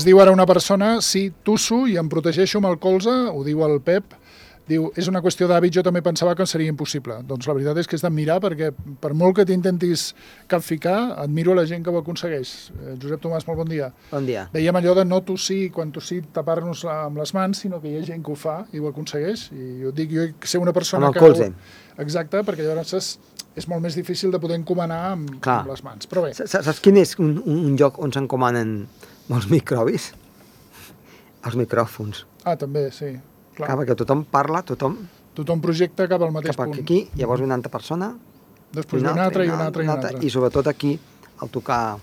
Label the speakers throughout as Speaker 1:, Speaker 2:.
Speaker 1: Ens diu ara una persona, sí, tusso i em protegeixo amb el colze, ho diu el Pep, diu, és una qüestió d'hàbit, jo també pensava que seria impossible. Doncs la veritat és que és d'admirar, perquè per molt que t'intentis capficar, admiro la gent que ho aconsegueix. Josep Tomàs, molt bon dia.
Speaker 2: Bon dia.
Speaker 1: Dèiem allò de no tossir, quan tossir tapar-nos amb les mans, sinó que hi ha gent que ho fa i ho aconsegueix. I jo dic, jo sé una persona
Speaker 2: amb el colze.
Speaker 1: Exacte, perquè llavors és molt més difícil de poder encomanar amb les mans. Però bé.
Speaker 2: Saps quin és un lloc on s'encomanen molts microbis? Els micròfons.
Speaker 1: Ah, també, sí.
Speaker 2: Clar, perquè tothom parla, tothom
Speaker 1: projecta cap al mateix punt.
Speaker 2: Cap aquí, llavors una altra persona,
Speaker 1: després una altra i una altra.
Speaker 2: I sobretot aquí, al tocar...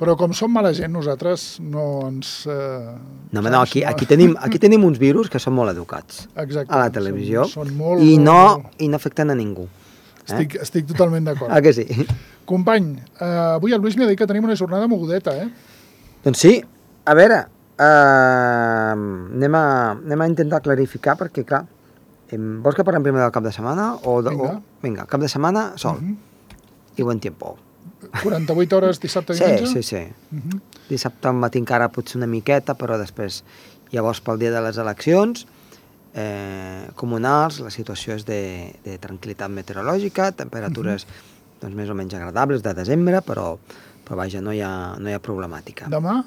Speaker 1: Però com som mala gent, nosaltres no ens...
Speaker 2: No, aquí tenim uns virus que són molt educats.
Speaker 1: Exacte.
Speaker 2: A la televisió.
Speaker 1: Són molt...
Speaker 2: I no afecten a ningú.
Speaker 1: Estic totalment d'acord.
Speaker 2: Ah, que sí?
Speaker 1: Company, avui el Lluís m'ha dit que tenim una jornada mogudeta,
Speaker 2: Doncs sí, a veure... anem a intentar clarificar perquè, clar, vols que parlem primer del cap de setmana? Vinga, cap de setmana, sol. I buen tiempo.
Speaker 1: 48 hores dissabte i diumenge?
Speaker 2: Sí. Dissabte al matí encara potser una miqueta, però després, llavors pel dia de les eleccions comunals, la situació és de tranquil·litat meteorològica, temperatures doncs, més o menys agradables de desembre, però vaja, no hi ha problemàtica.
Speaker 1: Demà?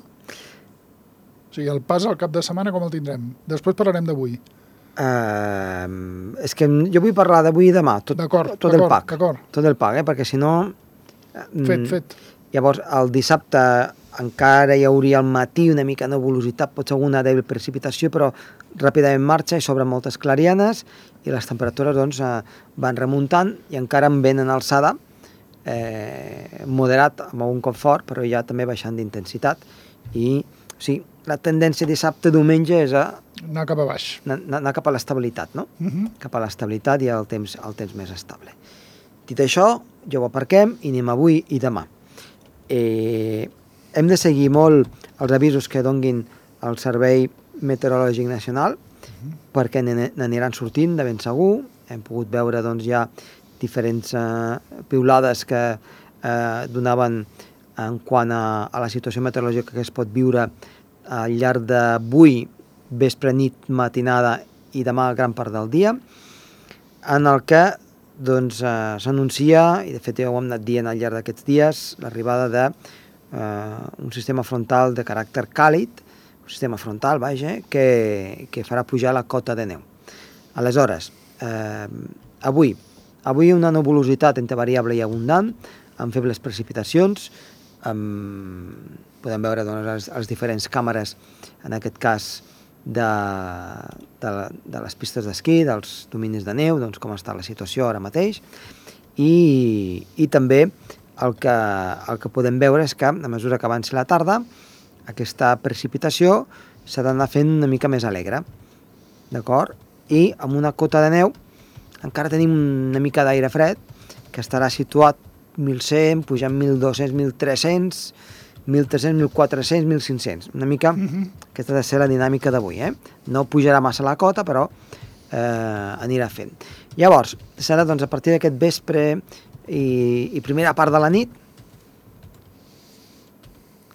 Speaker 1: O sigui, el pas al cap de setmana com el tindrem? Després parlarem d'avui.
Speaker 2: És que jo vull parlar d'avui i demà, tot el pack. Tot el pack, perquè si no...
Speaker 1: Fet.
Speaker 2: Llavors, el dissabte encara hi hauria al matí una mica de nebulositat, potser alguna dèbil precipitació, però ràpidament marxa i s'obren moltes clarianes i les temperatures doncs, van remuntant i encara amb vent en alçada, moderat, amb algun cop fort, però ja també baixant d'intensitat. I, o sigui, la tendència dissabte-diumenge és
Speaker 1: anar cap a baix.
Speaker 2: Anar cap a l'estabilitat, no? Cap a l'estabilitat i el temps més estable. Dit això, ja ho aparquem i anem avui i demà. Hem de seguir molt els avisos que donguin el Servei Meteorològic Nacional, perquè n'aniran sortint de ben segur. Hem pogut veure doncs, ja diferents piulades que donaven en quant a la situació meteorològica que es pot viure al llarg d'avui, vespre, nit, matinada i demà gran part del dia, en el que doncs, s'anuncia, i de fet ja ho hem anat dient al llarg d'aquests dies, l'arribada d'un sistema frontal de caràcter càlid, un sistema frontal, vaja, que farà pujar la cota de neu. Aleshores, avui una nebulositat entre variable i abundant, amb febles precipitacions, podem veure doncs, les diferents càmeres, en aquest cas de les pistes d'esquí, dels dominis de neu, doncs com està la situació ara mateix, i també el que podem veure és que a mesura que avanci la tarda, aquesta precipitació s'ha d'anar fent una mica més alegre, d'acord? I amb una cota de neu encara tenim una mica d'aire fred, que estarà situat 1.100, pujant 1.200, 1.300, 1.300, 1.400, 1.500. Una mica, aquesta ha de ser la dinàmica d'avui. No pujarà massa la cota, però anirà fent. Llavors, serà doncs, a partir d'aquest vespre i primera part de la nit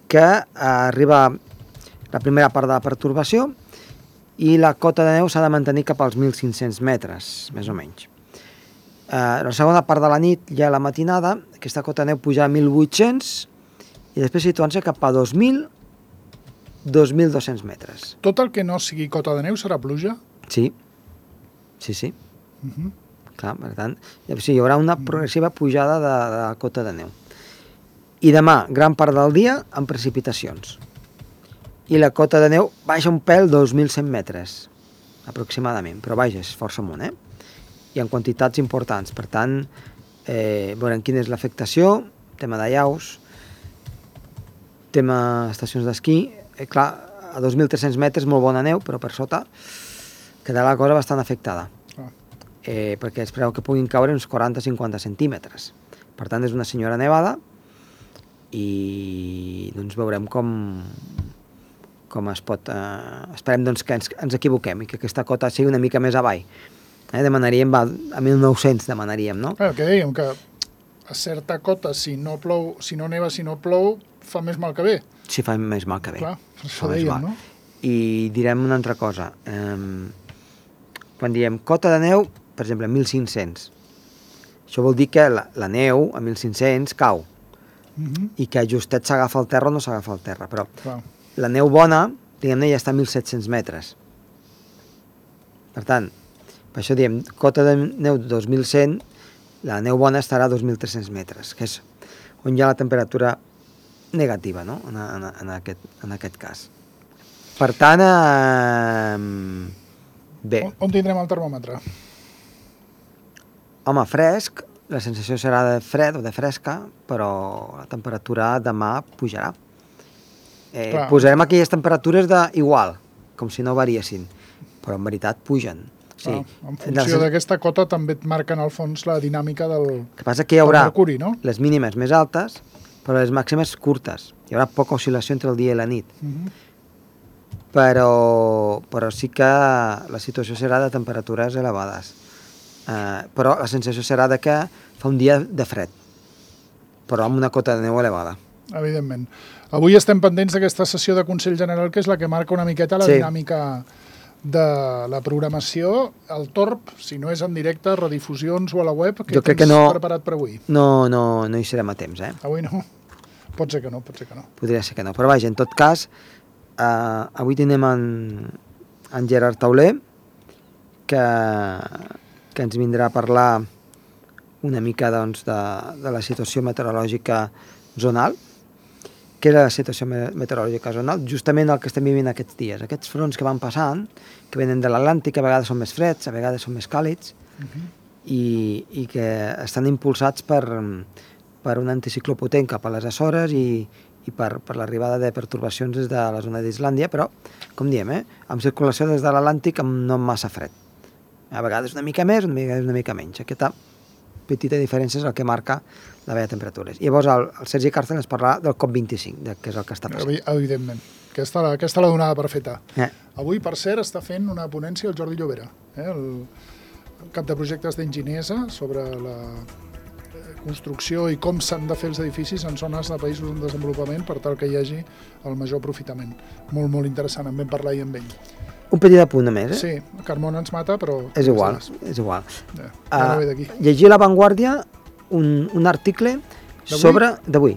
Speaker 2: que arriba la primera part de la pertorbació i la cota de neu s'ha de mantenir cap als 1.500 metres, més o menys. La segona part de la nit, ja a la matinada, aquesta cota de neu puja a 1.800 i després situant-se cap a 2.000, 2.200 metres.
Speaker 1: Tot el que no sigui cota de neu serà pluja?
Speaker 2: Sí. Clar, per tant, hi haurà una progressiva pujada de la cota de neu. I demà, gran part del dia, amb precipitacions. I la cota de neu baixa un pèl 2.100 metres, aproximadament, però vaja, és força amunt, i en quantitats importants. Per tant, veurem quina és l'afectació, tema d'allaus, tema estacions d'esquí. Clar, a 2.300 metres molt bona neu, però per sota quedarà la cosa bastant afectada, perquè es preveu que puguin caure uns 40-50 centímetres. Per tant, és una senyora nevada i doncs veurem com es pot... Esperem doncs, que ens equivoquem i que aquesta cota sigui una mica més avall. Demanaríem, a 1.900 demanaríem, no?
Speaker 1: Que dèiem que a certa cota, si no plou, si no neva, si no plou, fa més mal que bé.
Speaker 2: Sí, fa més mal que bé.
Speaker 1: Clar, això dèiem, no?
Speaker 2: I direm una altra cosa. Quan diem cota de neu, per exemple, 1.500, això vol dir que la neu a 1.500 cau i que justet s'agafa al terra o no s'agafa al terra, però la neu bona, diguem-ne, ja està a 1.700 metres. Per tant, per això diem cota de neu de 2.100, la neu bona estarà a 2.300 metres, que és on hi ha la temperatura negativa, no?, en aquest cas. Per tant, bé.
Speaker 1: On tindrem el termòmetre?
Speaker 2: Home, fresc, la sensació serà de fred o de fresca, però la temperatura demà pujarà. Posarem aquelles temperatures d'igual, com si no variessin, però en veritat pugen. Sí.
Speaker 1: En funció d'aquesta cota també et marquen al fons la dinàmica del mercuri, no?
Speaker 2: El que passa que hi haurà les mínimes més altes, però les màximes curtes. Hi haurà poca oscil·lació entre el dia i la nit. Però sí que la situació serà de temperatures elevades. Però la sensació serà de que fa un dia de fred, però amb una cota de neu elevada.
Speaker 1: Evidentment. Avui estem pendents d'aquesta sessió de Consell General, que és la que marca una miqueta la dinàmica de la programació. El torb, si no és en directe, redifusions o a la web, que tens preparat per avui?
Speaker 2: No hi serem a temps,
Speaker 1: Avui no? Pot ser que no, pot ser que no.
Speaker 2: Podria ser que no, però vaja, en tot cas, avui tenim en Gerard Tauler, que ens vindrà a parlar una mica doncs, de la situació meteorològica zonal. Què és la situació meteorològica zonal? Justament el que estem vivint aquests dies. Aquests fronts que van passant, que venen de l'Atlàntic, a vegades són més freds, a vegades són més càlids, i que estan impulsats per un anticicló potent cap a les Açores i per l'arribada de pertorbacions des de la zona d'Islàndia, però, com diem, amb circulació des de l'Atlàntic no amb massa fred. A vegades una mica més, una mica menys. Aquesta petita diferència és el que marca la vella temperatures. I llavors el Sergi Càrcel ens parlarà del COP25, que és el que està passant.
Speaker 1: Evidentment. Aquesta la donada per feta. Avui, per cert, està fent una ponència el Jordi Llobera, el cap de projectes d'Enginesa, sobre la construcció i com s'han de fer els edificis en zones de països en desenvolupament per tal que hi hagi el major aprofitament. Molt, molt interessant, en vam parlar ahir amb ell.
Speaker 2: Un petit apunt a més,
Speaker 1: Sí, Carmona ens mata, però...
Speaker 2: És igual.
Speaker 1: Ja no ve d'aquí.
Speaker 2: Llegir a La Vanguardia un article d'avui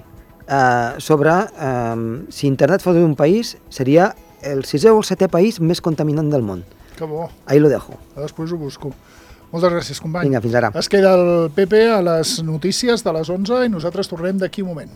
Speaker 2: sobre si internet fos un país seria el 6è o el 7è país més contaminant del món.
Speaker 1: Que bo.
Speaker 2: Ahí lo dejo.
Speaker 1: Després ho busco. Moltes gràcies, company.
Speaker 2: Vinga, fins ara.
Speaker 1: Es queda el Pepe a les notícies de les 11 i nosaltres tornem d'aquí un moment.